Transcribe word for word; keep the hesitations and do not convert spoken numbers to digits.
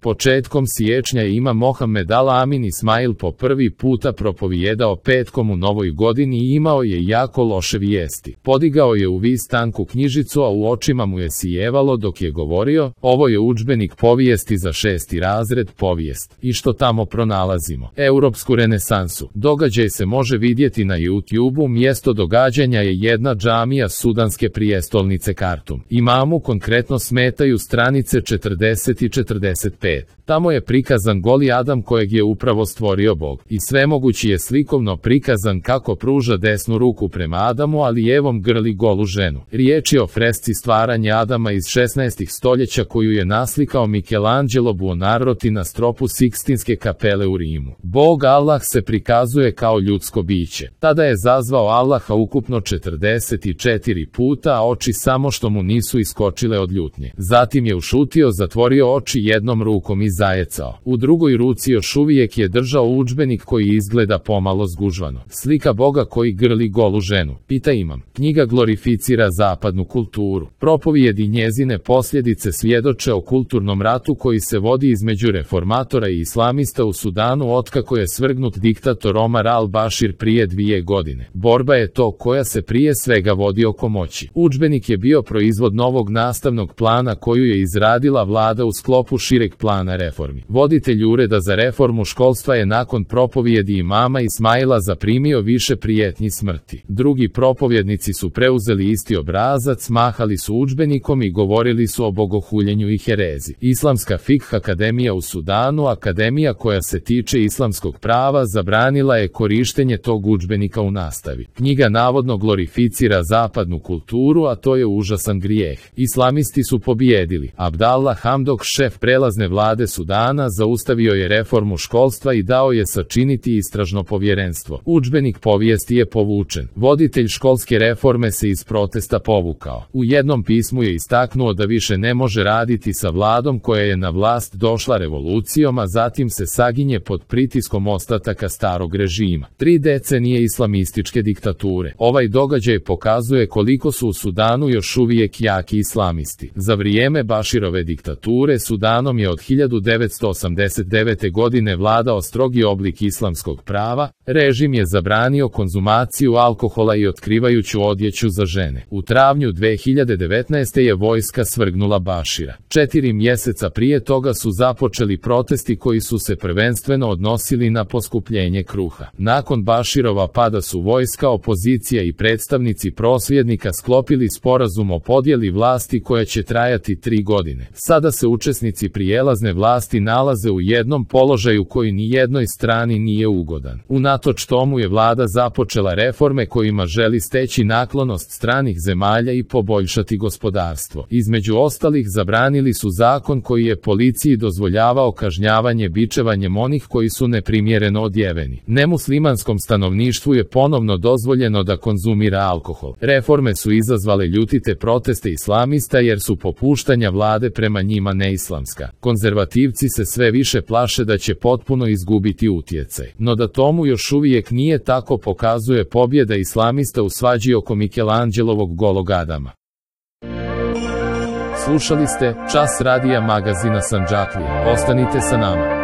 Početkom siječnja je Imam Mohamed Al-Amin Ismail po prvi puta propovijedao petkom u novoj godini i imao je jako loše vijesti. Podigao je u vis tanku knjižicu, a u očima mu je sijevalo dok je govorio: ovo je udžbenik povijesti za šesti razred povijest. I što tamo pronalazimo? Europsku renesansu. Događaj se može vidjeti na YouTubeu. Mjesto događanja je jedna džamija sudanske prijestolnice Kartum. Imamu konkretno smetaju stranice četrdeset i četrdeset pet. Tamo je prikazan goli Adam kojeg je upravo stvorio Bog. I svemogući je slikovno prikazan kako pruža desnu ruku prema Adamu, a lijevom grli golu ženu. Riječ je o fresci stvaranja Adama iz šesnaestog stoljeća koju je naslikao Michelangelo Buonarroti na stropu Sikstinske kapele u Rimu. Bog Allah se prikazuje kao ljudsko biće. Tada je zazvao Allaha ukupno četrdeset četiri puta, a oči samo što mu nisu iskočile od ljutnje. Zatim je ušutio, zatvorio oči jednom rukom i zajecao. U drugoj ruci još uvijek je držao udžbenik koji izgleda pomalo zgužvano. Slika Boga koji grli golu ženu. Pita Imam. Knjiga glorificira zapadnu kulturu. Propovijedi njezine posljedice svjedoče o kulturnom ratu koji se vodi između reformatora i islamista u Sudanu otkako je svrgnut diktator Omar al-Bashir prije dvije godine. Borba je to koja se prije svega vodi oko moći. Udžbenik je bio proizvod novog nastavnog plana koju je izradila vlada u sklopu šireg plana reformi. Voditelj ureda za reformu školstva je nakon propovjedi imama Ismaila zaprimio više prijetnji smrti. Drugi propovjednici su preuzeli isti obrazac, mahali su udžbenikom i govorili su o bogohuljenju i herezi. Islamska Fikh akademija u Sudanu, akademija koja se tiče islamskog prava, zabranila je korištenje tog udžbenika u nastavi. Knjiga navodno glorificira zapadnu kulturu, a to je užasan grijeh. Islamisti su pobijedili. Abdallah Hamdok, šef prelazne vlade Sudana, zaustavio je reformu školstva i dao je sačiniti istražno povjerenstvo. Udžbenik povijesti je povučen. Voditelj školske reforme se iz protesta povukao. U jednom pismu je istaknuo da više ne može raditi sa vladom koja je na vlast došla revolucijom, a zatim se saginje pod pritiskom ostataka starog režima. Tri decenije islamističke diktature. Ovaj događaj pokazuje koliko su u Sudanu još uvijek jaki islamisti. Za vrijeme Bashirove diktature Sudanom je od hiljadu devetsto osamdeset devete. godine vladao strogi oblik islamskog prava. Režim je zabranio konzumaciju alkohola i otkrivajuću odjeću za žene. U travnju dve hiljade devetnaeste. je vojska svrgnula Bashira. Četiri mjeseca prije toga su započeli protesti koji su se prvenstveno odnosili na poskupljenje kruha. Nakon Bashirova pada su vojska, opozicija i predstavnici prosvjednika sklopili sporazum o podjeli vlasti koja će trajati tri godine. Sada se učesnici prijelazne vlasti nalaze u jednom položaju koji ni jednoj strani nije ugodan. Unatoč tomu je vlada započela reforme kojima želi steći naklonost stranih zemalja i poboljšati gospodarstvo. Između ostalih zabranili su zakon koji je policiji dozvoljavao kažnjavanje bičevanjem onih koji su neprimjereno odjeveni. Nemuslimanskom stanovništvu je ponovno dozvoljeno da konzumira alkohol. Reforme su izazvale ljutite proteste islamista jer su popuštanja vlade prema njima neislamska. Konzervativci se sve više plaše da će potpuno izgubiti utjecaj. No da tomu još uvijek nije tako pokazuje pobjeda islamista u svađi oko Michelangelovog golog Adama. Slušali ste Čas radija magazina Sandžaklija. Ostanite sa nama.